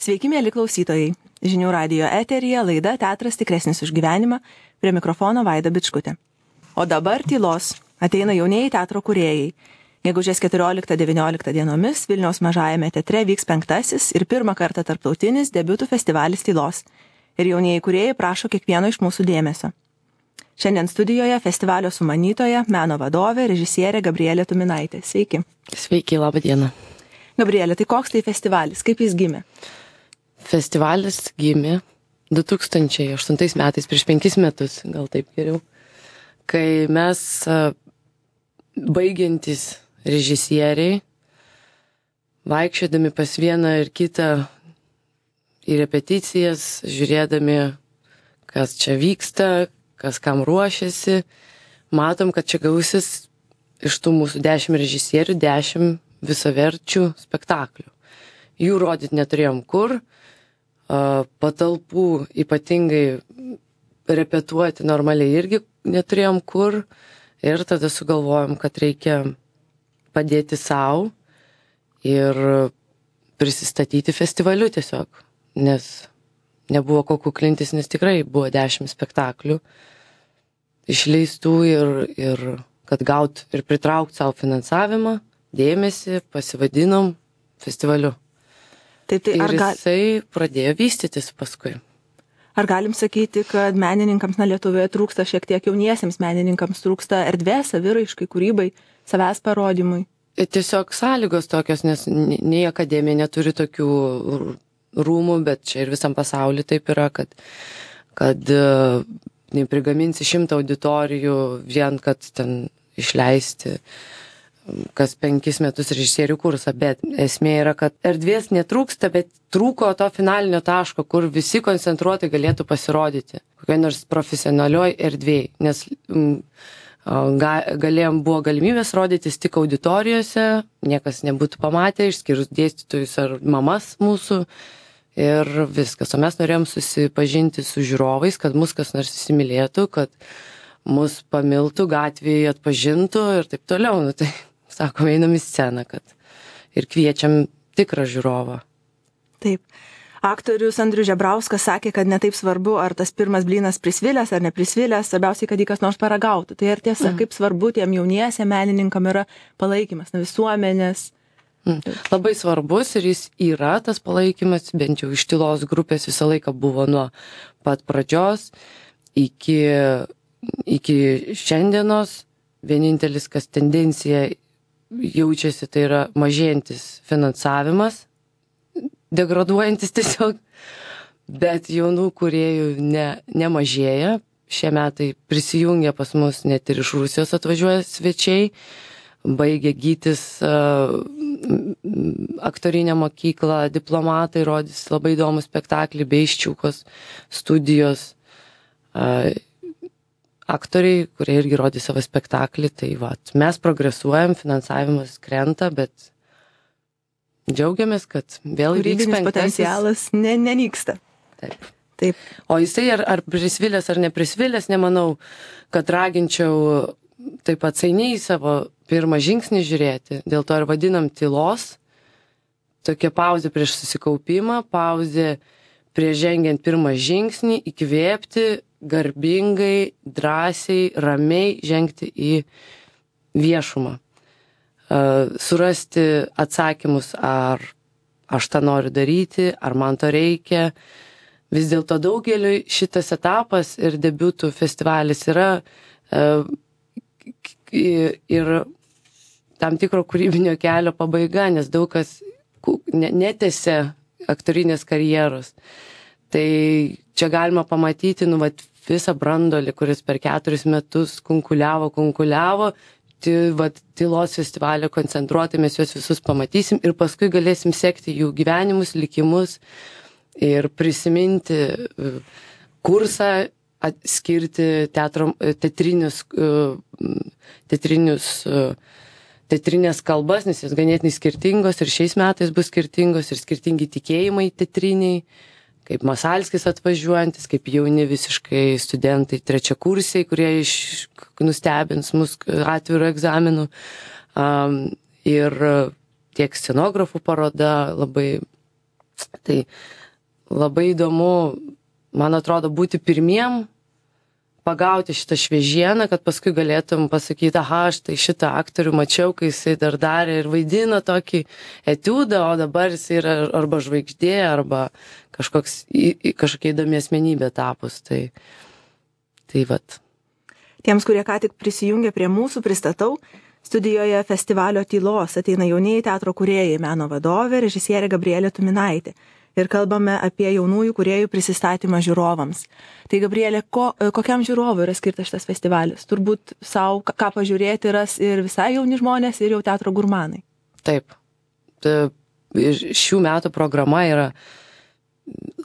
Sveiki, mėly klausytojai. Žinių radijo eteryje laida Teatras tikresnis už gyvenimą, prie mikrofono Vaida Bičkutė. O dabar tylos. Ateina jaunieji teatro kūrėjai. Gegužės 14-19 dienomis Vilniaus Mažajame teatre vyks 5. ir pirmą kartą tarptautinis debiutų festivalis tylos. Ir jaunieji kūrėjai prašo kiekvieno iš mūsų dėmesio. Šiandien studijoje festivalio sumanytoja, meno vadovė, režisierė Gabrielė Tuminaitė. Sveiki. Sveiki, laba diena. Gabrielė, tai koks tai festivalis? Kaip jis gimė? Festivalis gimė 2008 metais, prieš 5 metus, gal taip geriau, kai mes baigiantys režisieriai, vaikščiodami pas vieną ir kitą į repeticijas, žiūrėdami, kas čia vyksta, kas kam ruošiasi, matom, kad čia gausis iš tų mūsų 10 režisierių 10 visaverčių spektaklių. Jų rodyti neturėjom kur, patalpų ypatingai repetuoti normaliai irgi neturėjom kur, ir tada sugalvojom, kad reikia padėti savo ir prisistatyti festivaliu tiesiog, nes nebuvo ko kuklintis, nes tikrai buvo 10 spektaklių išleistų ir kad gaut ir pritraukt savo finansavimą, dėmesį, pasivadinom festivaliu. Taip, tai ir jisai pradėjo vystytis paskui. Ar galim sakyti, kad menininkams Lietuvoje trūksta šiek tiek, jauniesiems menininkams trūksta erdvės, saviraiškai, kūrybai, savęs parodymui? Tiesiog sąlygos tokios, nes nei akademija neturi tokių rūmų, bet čia ir visam pasauliu taip yra, kad neprigaminsi 100 auditorijų vien, kad ten išleisti kas 5 metus režisierių kursą, bet esmė yra, kad erdvės netrūksta, bet trūko to finalinio taško, kur visi koncentruotai galėtų pasirodyti, kokioj nors profesionalioj erdvėj, nes buvo galimybės rodytis tik auditorijose, niekas nebūtų pamatę, išskyrus dėstytojus ar mamas mūsų, ir viskas. O mes norėjom susipažinti su žiūrovais, kad mus kas nors įsimylėtų, kad mus pamiltų, gatvėje atpažintų ir taip toliau. Nu, tai sakom, einam į sceną, kad ir kviečiam tikrą žiūrovą. Taip. Aktorius Andrius Žebrauskas sakė, kad netaip svarbu, ar tas pirmas blynas prisvilęs ar neprisvilęs, svarbiausiai, kad jį kas nors paragautų. Tai ar tiesa, kaip svarbu tiem jauniesiem menininkam yra palaikymas visuomenės? Labai svarbus ir jis yra tas palaikymas, bent jau iš tylos grupės visą laiką buvo nuo pat pradžios iki šiandienos. Vienintelis, kas tendencija jaučiasi, tai yra mažėjantis finansavimas, degraduojantis tiesiog, bet jaunų kūrėjų nemažėja. Šie metai prisijungia pas mus, net ir iš Rusijos atvažiuoja svečiai, baigia gytis aktorinę mokyklą, diplomatai rodys labai įdomų spektaklį, Beisčiukos studijos aktoriai, kurie irgi rodys savo spektaklį. Tai mes progresuojam, finansavimas krenta, bet džiaugiamės, kad vėl vyks 5. potencialas nenyksta. Taip. O jisai ar prisvilęs ar neprisvilęs, nemanau, kad raginčiau taip atsainiai savo pirmą žingsnį žiūrėti. Dėl to ir vadinam tylos. Tokia pauzė prieš susikaupimą, pauzė prieš žengiant pirmą žingsnį, įkvėpti, garbingai, drąsiai, ramiai žengti į viešumą. Surasti atsakymus, ar aš tą noriu daryti, ar man to reikia. Vis dėlto daugeliui šitas etapas ir debiutų festivalis yra ir tam tikro kūrybinio kelio pabaiga, nes daug kas netęsia aktorinės karjeros. Tai čia galima pamatyti visą brandolį, kuris per 4 metus kunkuliavo, tylos festivalio koncentruotai mes juos visus pamatysim ir paskui galėsim sekti jų gyvenimus, likimus ir prisiminti kursą, skirti teatrinės kalbas, nes jos ganėtinai skirtingos ir šiais metais bus skirtingos ir skirtingi tikėjimai teatriniai, kaip Masalskis atvažiuojantis, kaip jauni visiškai studentai trečiakursiai, kurie nustebins mus atviru egzaminu. Ir tiek scenografų paroda labai Tai labai įdomu, man atrodo, būti pirmiem, pagauti šitą šviežieną, kad paskui galėtum pasakyti, aha, aš tai šitą aktorių mačiau, kai jisai dar darė ir vaidino tokį etiudą, o dabar jisai yra arba žvaigždė, arba kažkokia įdomi asmenybė tapus. Tai vat. Tiems, kurie ką tik prisijungė prie mūsų, pristatau. Studijoje festivalio Tylos ateina jaunieji teatro kūrėjai, meno vadovė, režisierė Gabrielė Tuminaitė. Ir kalbame apie jaunųjų kūrėjų prisistatymą žiūrovams. Tai, Gabrielė, kokiam žiūrovui yra skirtas šitas festivalis? Turbūt savo ką pažiūrėti ras ir visai jauni žmonės, ir jau teatro gurmanai. Taip. Šių metų programa yra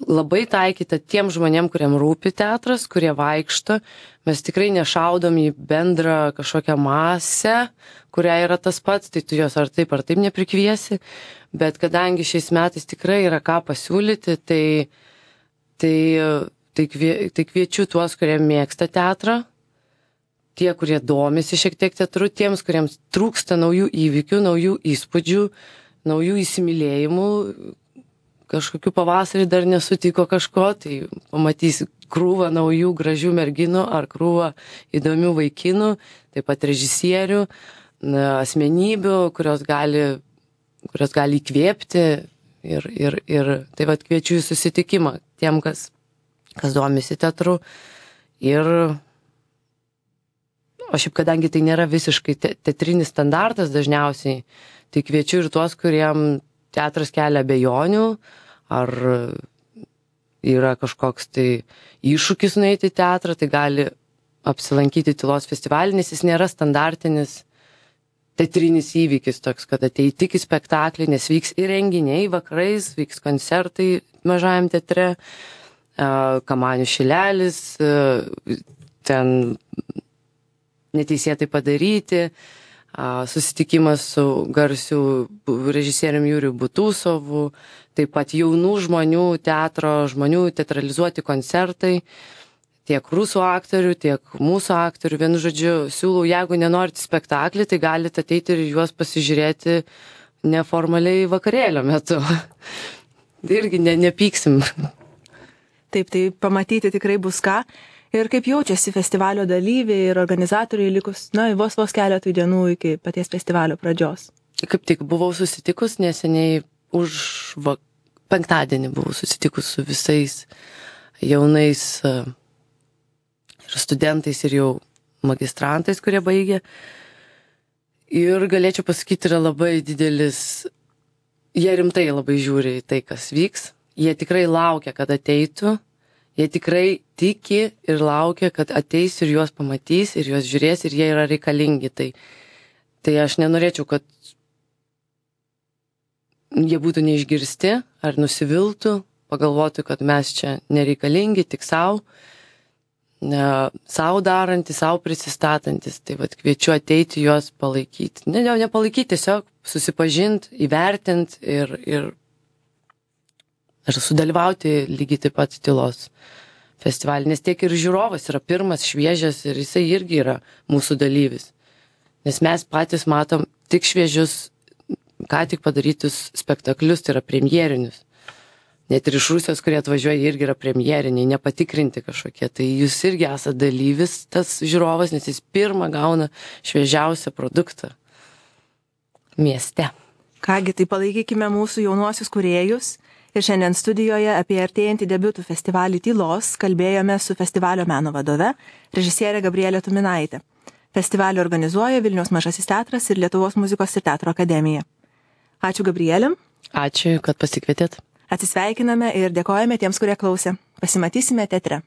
labai taikyta tiem žmonėm, kuriem rūpi teatras, kurie vaikšto. Mes tikrai nešaudom į bendrą kažkokią masę, kuria yra tas pats, tai tu jos ar taip neprikviesi. Bet kadangi šiais metais tikrai yra ką pasiūlyti, tai kviečiu tuos, kurie mėgsta teatrą, tie, kurie domisi šiek tiek teatru, tiems, kuriems trūksta naujų įvykių, naujų įspūdžių, naujų įsimylėjimų, kažkokiu pavasarį dar nesutiko kažko, tai pamatysi krūvą naujų gražių merginų ar krūvą įdomių vaikinų, taip pat režisierių, asmenybių, kurios gali įkvėpti ir tai vat kviečiu į susitikimą tiem, kas domisi teatru. O šiaip, kadangi tai nėra visiškai teatrinis standartas dažniausiai, tai kviečiu ir tuos, kuriem teatras kelia abejonių, ar yra kažkoks tai iššūkis nueiti į teatrą, tai gali apsilankyti Tylos festivalį, nes jis nėra standartinis teatrinis įvykis toks, kad atei tik į spektaklį, nes vyks ir renginiai vakarais, vyks koncertai mažajam teatre, Kamanių šilelis, ten neteisėtai padaryti, susitikimas su garsiu režisieriumi Juriu Butusovu, taip pat jaunų žmonių teatro, žmonių teatralizuoti koncertai, tiek rusų aktorių, tiek mūsų aktorių. Vienu žodžiu, siūlau, jeigu nenorite spektaklį, tai galite ateiti ir juos pasižiūrėti neformaliai vakarėlio metu. Irgi nepyksim. Taip, tai pamatyti tikrai bus ką. Ir kaip jaučiasi festivalio dalyviai ir organizatoriai likus, vos keletui dienų iki paties festivalio pradžios? Kaip tik buvau susitikus neseniai, penktadienį buvau susitikus su visais jaunais ir studentais ir jau magistrantais, kurie baigė. Ir galėčiau pasakyti, yra labai didelis, jie rimtai labai žiūri į tai, kas vyks. Jie tikrai laukia, kad ateitų. Jie tikrai tiki ir laukia, kad ateis ir juos pamatys, ir juos žiūrės, ir jie yra reikalingi. Tai aš nenorėčiau, kad jie būtų neišgirsti ar nusiviltų, pagalvotų, kad mes čia nereikalingi, tik savo darantys, savo prisistatantis. Tai vat kviečiu ateiti juos palaikyti. Nepalaikyti, tiesiog susipažinti, įvertinti ir sudalyvauti lygiai taip pat Tylos festivalį, nes tiek ir žiūrovas yra pirmas, šviežias ir jisai irgi yra mūsų dalyvis. Nes mes patys matom tik šviežius, ką tik padarytus spektaklius, tai yra premjerinius. Net ir iš Rusijos, kurie atvažiuoja, irgi yra premjeriniai, nepatikrinti kažkokie. Tai jūs irgi esate dalyvis, tas žiūrovas, nes jis pirmą gauna šviežiausią produktą mieste. Kągi, tai palaikykime mūsų jaunuosius kūrėjus. Ir šiandien studijoje apie artėjantį debiutų festivalį Tylos kalbėjome su festivalio meno vadove, režisierė Gabrielė Tuminaitė. Festivalį organizuoja Vilniaus Mažasis teatras ir Lietuvos muzikos ir teatro akademija. Ačiū, Gabrielė. Ačiū, kad pasikvietėt. Atsisveikiname ir dėkojame tiems, kurie klausė. Pasimatysime teatre.